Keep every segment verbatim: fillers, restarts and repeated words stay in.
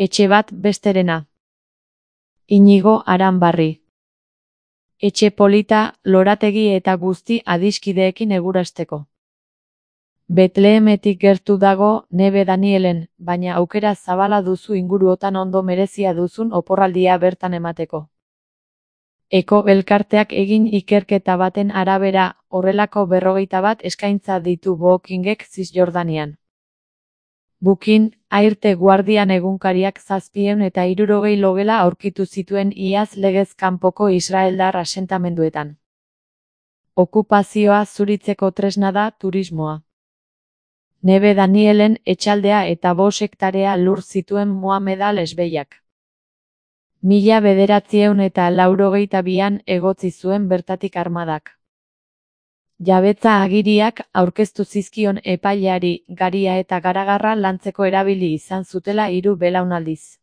Etxe bat besterena. Inigo Aranbarri. Etxe polita, lorategi eta guzti adiskideekin egurasteko. Betlehemetik gertu dago Nebe Danielen, baina aukera zabala duzu inguruotan ondo merezia duzun oporraldia bertan emateko. Eko elkarteak egin ikerketa baten arabera, horrelako berrogeita bat eskaintza ditu Bookingek Zisjordanian. Booking, Airte Guardian egunkariak zazpiehun eta hirurogei logela aurkitu zituen iaz legez kanpoko israeldar asentamenduetan. Okupazioa zuritzeko tresna da turismoa. Nebe Danielen etxaldea eta bost hektarea lur zituen Mohamed al-Esbeiak. Mila bederatziehun eta laurogeita bian egotzi zuen bertatik armadak. Jabetza agiriak aurkeztu zizkion epaileari garia eta garagarra lantzeko erabili izan zutela hiru belaunaldiz.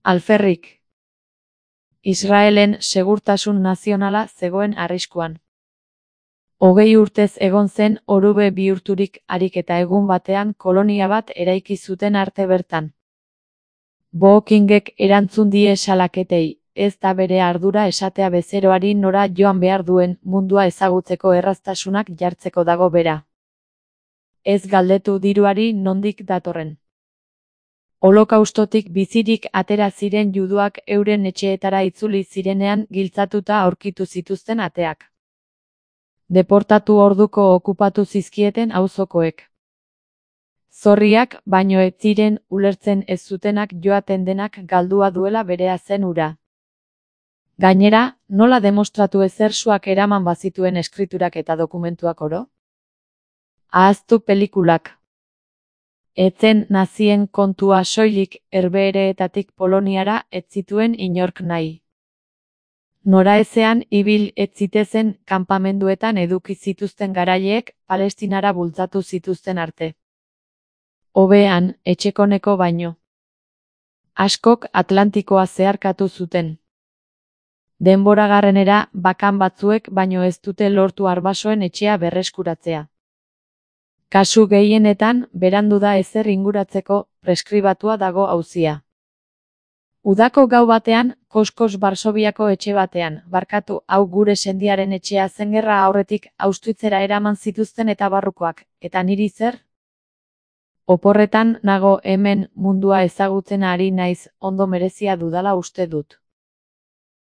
Alferrik. Israelen segurtasun nazionala zegoen arriskuan. Hogei urtez egon zen orube bihurturik harik eta egun batean kolonia bat eraiki zuten arte bertan. Bookingek erantzun die salaketei, ez da bere ardura esatea bezeroari nora joan behar duen mundua ezagutzeko erraztasunak jartzeko dago bera. Ez galdetu diruari nondik datorren. Holokaustotik bizirik atera ziren juduak euren etxeetara itzuli zirenean giltzatuta aurkitu zituzten ateak. Deportatu orduko okupatu zizkieten auzokoek. Zorriak, baino ez ziren ulertzen ez zutenak joaten denak galdua duela berea zen ura. Gainera, nola demostratu ezersuak eraman bazituen eskriturak eta dokumentuak oro? Ahaztu pelikulak. Etzen nazien kontua soilik Herbehereetatik Poloniara ez zituen inork nahi. Noraezean ibil ez zitezen kanpamenduetan eduki zituzten garaileek Palestinara bultzatu zituzten arte. Hobean, etxekoneko baino. Askok Atlantikoa zeharkatu zuten. Denboragarrenera bakan batzuek baino ez dute lortu arbasoen etxea berreskuratzea. Kasu gehienetan, berandu da ezer inguratzeko, preskribatua dago auzia. Udako gau batean, koskos Varsoviako etxe batean, barkatu hau gure sendiaren etxea zen gerra aurretik Auschwitzera eraman zituzten eta barrukoak, eta niri zer? Oporretan nago hemen mundua ezagutzen ari naiz, ondo merezia dudala uste dut.